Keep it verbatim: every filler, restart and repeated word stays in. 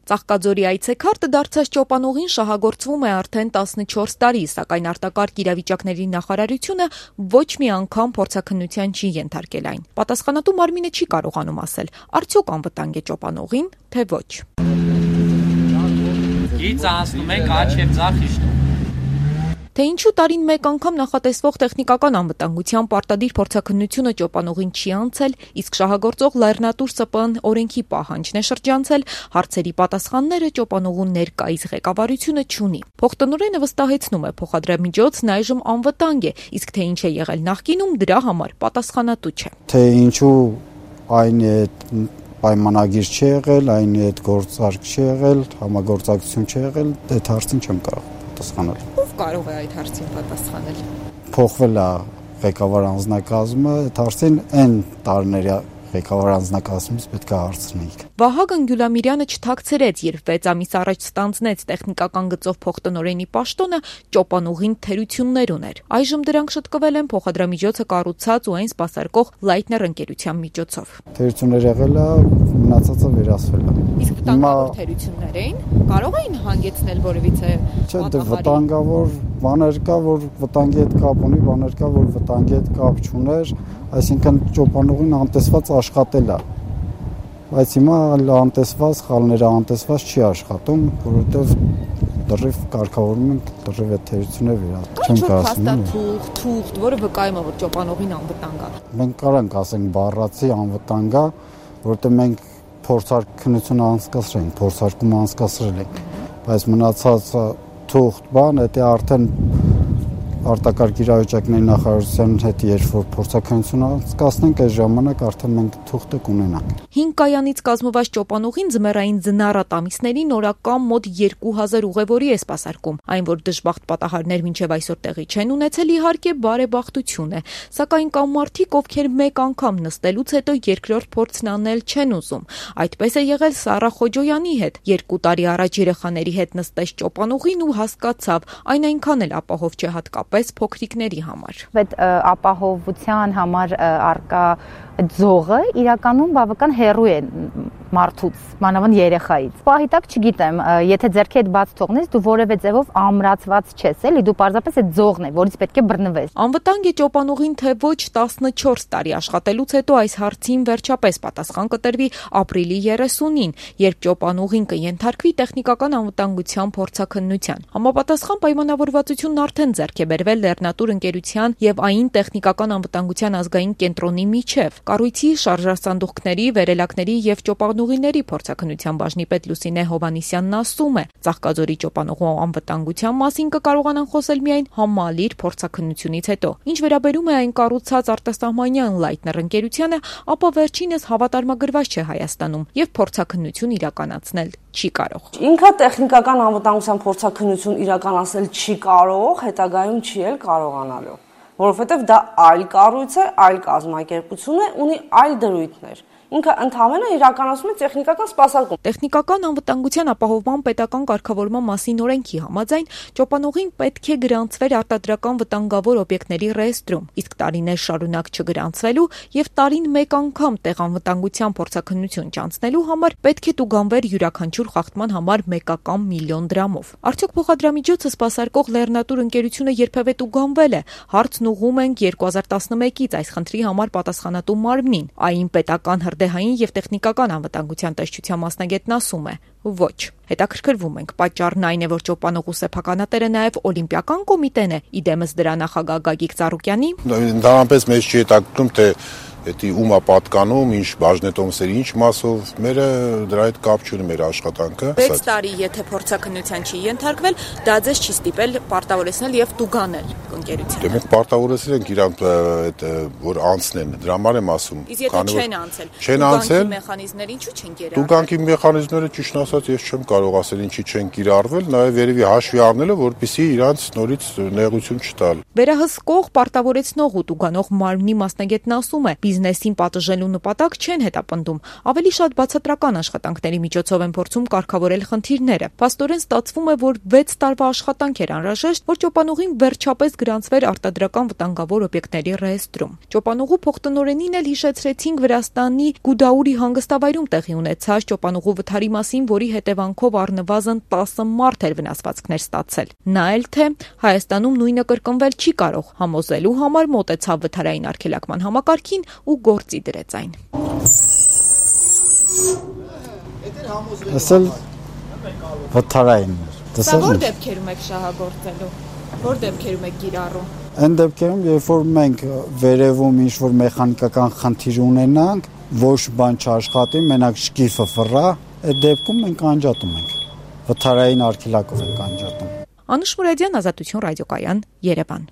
Ծաղկաձորի այցեքարտը դարձած ճոպանուղին շահագործվում է արդեն տասնչորս տարի, սակայն արտակարգ իրավիճակների նախարարությունը ոչ մի անգամ փորձաքննության չի ենթարկել այն։ Պատասխանատու մարմինը չի կարողանում ասել, արդյոք անվտանգ է ճոպանուղին, թե ոչ։ Գիծ անցնում ենք աջ և ձախ իշտում։ Թե ինչու տարին մեկ անգամ նախատեսվող տեխնիկական անվտանգության պարտադիր փորձաքննությունը ճոպանուղին չի անցել, իսկ շահագործող լեռնատուր ՍՊԸ օրենքի պահանջն է շրջանցել, հարցերի պատասխանները ճոպանուղու ներկայիս ղեկավարությունը չունի։ Փոխտնօրենը վստահեցնում է, փոխադրամիջոցն այժմ անվտանգ է, իսկ թե ինչ է եղել նախկինում, դրա համար պատասխանատու չէ։ Թե ինչու այն է պայմանագիր չի եղել, այն հետ գործարք չի եղել, համագործակցություն չի եղել, այդ հարցին չեմ կարող պատասխանել։ Ով կարող է այդ հարցին պատասխանել։ Փոխվել է ղեկավար անձնակազմը, այդ հարցին այն տարիների ղեկավար անձնակազմից պետք է հարցնեիք։ Վահագն Գյուլամիրյանը չթաքցրեց, երբ վեց ամիս առաջ ստանձնեց տեխնիկական գծով փոխտնօրենի պաշտոնը, ճոպանուղին թերություններ ուներ։ Այժմ դրանք շտկվել են փոխադրամիջոցը կառուցած ու այն սպասարկող Լայթներ ընկերության միջոցով։ Թերություններ եղել է, մնացածը վերացվել է։ Իսկ վտանգավոր թերություններ էին, կարող էին հանգեցնել որևիցե Չէ, դե վտանգավոր բաներ կա, որ վտանգի հետ կապ ունի, բաներ կա, որ վտանգի հետ կապ չուներ, այսինքն ճոպանուղին անտեսված աշխատել է։ Բայց հիմա անտեսված, խալները անտեսված չի աշխատում, որովհետև դրիվ կարգավորում ենք, դրիվ այդ թերությունները վերացնում չեմ ասում։ Թուղթ, թուղթ, որը վկայում է, որ ճոպանուղին անվտանգ է։ Մենք կարանք ասենք բառացի անվտանգ է, որովհետև մենք փորձարկություն անցկացրել ենք, փորձարկում անցկացրել ենք, բայց մնացած թուղթ բան, դա արդեն արտակարգ իրավիճակների նախարարության հետ երբ որ փորձաքննություն անցկացնենք, այս ժամանակ արդեն մենք թուղթը կունենանք։ Հինգ կայանից կազմված ճոպանուղին ձմեռային ձնառատ ամիսներին օրական մոտ երկու հազար ուղևորի է սպասարկում։ Այն, որ դժբախտ պատահարներ մինչև այսօր տեղի չեն ունեցել, իհարկե բարեբախտություն է, սակայն կան մարդիկ, ովքեր մեկ անգամ նստելուց հետո երկրորդ փորձն անել չեն ուզում։ Այդպես է եղել Սառա Խոջոյանի հետ։ Երկու տարի առաջ երեխաների հետ նստեց ճոպանուղին ու հասկացավ, այն այնքան էլ ապահով չէ հատկապես փոքրիկների համար։ Այդ ապահովության համար արկա ձողը իրականում բավական հեռու է մարդուց, մանավանդ երեխայից։ Պահի տակ չգիտեմ, եթե ձեռքի հետ բաց թողնես, դու որևէ ձևով ամրացված չես, էլի, դու պարզապես այդ ձողն է, որից պետք է բռնվես։ Անվտանգ է ճոպանուղին, թե ոչ, տասնչորս տարի աշխատելուց հետո այս հարցին վերջապես պատասխան կտրվի ապրիլի երեսունին, երբ ճոպանուղին կենթարկվի տեխնիկական անվտանգության փորձաքննության։ Համապատասխան պայմանավորվածությունն արդեն ձեռք է բերվել Լեռնատուր ընկերության եւ ԱԻՆ տեխնիկական անվտանգության ազգային կենտրոնի միջև։ Կառույցի շարժասանդուղքների, վերելակների եւ ճոպանուղիների փորձաքննության բաժնի պետ Լուսինե Հովանիսյանն ասում է, Ծաղկաձորի ճոպանուղու անվտանգության մասին կկարողանան խոսել միայն համալիր փորձաքննությունից հետո։ Ինչ վերաբերում է այն կառուցած արտասահմանյան Լայթներ ընկերությանը, ապա վերջինս հավատարմագրված չէ Հայաստանում եւ փորձաքննություն իրականացնել չի կարող։ Ինքը տեխնիկական անվտանգության փորձաքննություն իրականացնել չի կարող, հետագայում չի էլ կարողանալու, որովհետև դա այլ կառույց է, այլ կազմակերպություն է, ունի այլ դրույթներ։ Ինքը ընդհանրապես իրականացում է տեխնիկական սպասարկում։ Տեխնիկական անվտանգության ապահովման պետական կարգավորման մասին օրենքի համաձայն ճոպանուղին պետք է գրանցվեր արտադրական վտանգավոր օբյեկտների ռեեստրում, իսկ տարիներ շարունակ չգրանցվելու եւ տարին մեկ անգամ տեղ անվտանգության փորձաքննություն չանցնելու համար պետք է տուգանվեր յուրաքանչյուր խախտման համար մեկական միլիոն դրամով։ Արդյոք փոխադրամիջոցը սպասարկող Լեռնատուր ընկերությունը երբևէ տուգանվել է։ Հարցն ուղղում ենք երկու հազար տասնմեկից այս խնդրի համար պատասխանատու մարմնին։ ԱԻՆ պետական հրդեհային եւ տեխնիկական անվտանգության տեսչության մասնագետն ասում է. ոչ։ Հետաքրքրվում ենք, պատճառն այն է, որ ճոպանուղու սեփականատերը նաեւ Օլիմպիական կոմիտեն է, իդեմս դրա նախագահ Գագիկ Ծառուկյանի։ Ընդհանրապես մեզ չի հետաքրքրում, թե Դա ումա պատկանում, ինչ բաժնետոմսերի, ինչ մասով, մերը դրա հետ կապ չունի մեր աշխատանքը։ վեց տարի եթե փորձաքննության չի ենթարկվել, դա ձեզ չի ստիպել պարտավորեցնել եւ տուգանել ընկերությունը։ Դե մենք պարտավորեցրել ենք իրանք այդ որ անցնեն, դրա համար եմ ասում։ Իսկ եթե չեն անցել, չեն անցել, մեխանիզմները ինչու չեն կիրառվել։ Տուգանքի մեխանիզմները ճիշտ ասած ես չեմ կարող ասել ինչի չեն կիրառվել, նաեւ երևի հաշվի առնելը, որպեսզի իրանց նորից նեղություն չտալ։ Վերահսկող, պարտավորեցնող ու տուգանող մարմնի մասնագետն ասում է, բիզնեսին պատժելու նպատակ չեն հետապնդում, ավելի շատ բացատրական աշխատանքների միջոցով են փորձում կարգավորել խնդիրները։ Փաստորեն ստացվում է, որ վեց տարվա աշխատանք էր անհրաժեշտ, որ ճոպանուղին վերջապես գրանցվեր արտադրական վտանգավոր օբյեկտների ռեեստրում։ Ճոպանուղու փոխտնօրենին էլ հիշեցրեցինք Վրաստանի Գուդաուրի հանգստավայրում տեղի ունեցած ճոպանուղու վթարի մասին, որի որի հետևանքով առնվազն տասը մարդ էր վնասվածքներ ստացել։ Նա էլ թե Հայաստանում նույնը կրկնվել չի կարող, համոզելու համար մոտեցավ վթարային արգելակման համակարգին ու գործի դրեց այն։ Ասել վթարային։ Սա որ դեպքերում եք շահագործելու, որ դեպքերում եք կիրառում։ Այն դեպքերում, երբ որ մենք վերևում ինչ-որ մեխանիկական խնդիր ունենանք, ոչ բան չաշխատի, մենակ շկիֆը ֆռա, այդ դեպքում մենք անջատում ենք։ Վթարային արգելակով ենք անջատում։ Անուշ Մուրադյան, Ազատություն ռադիոկայան, Երևան։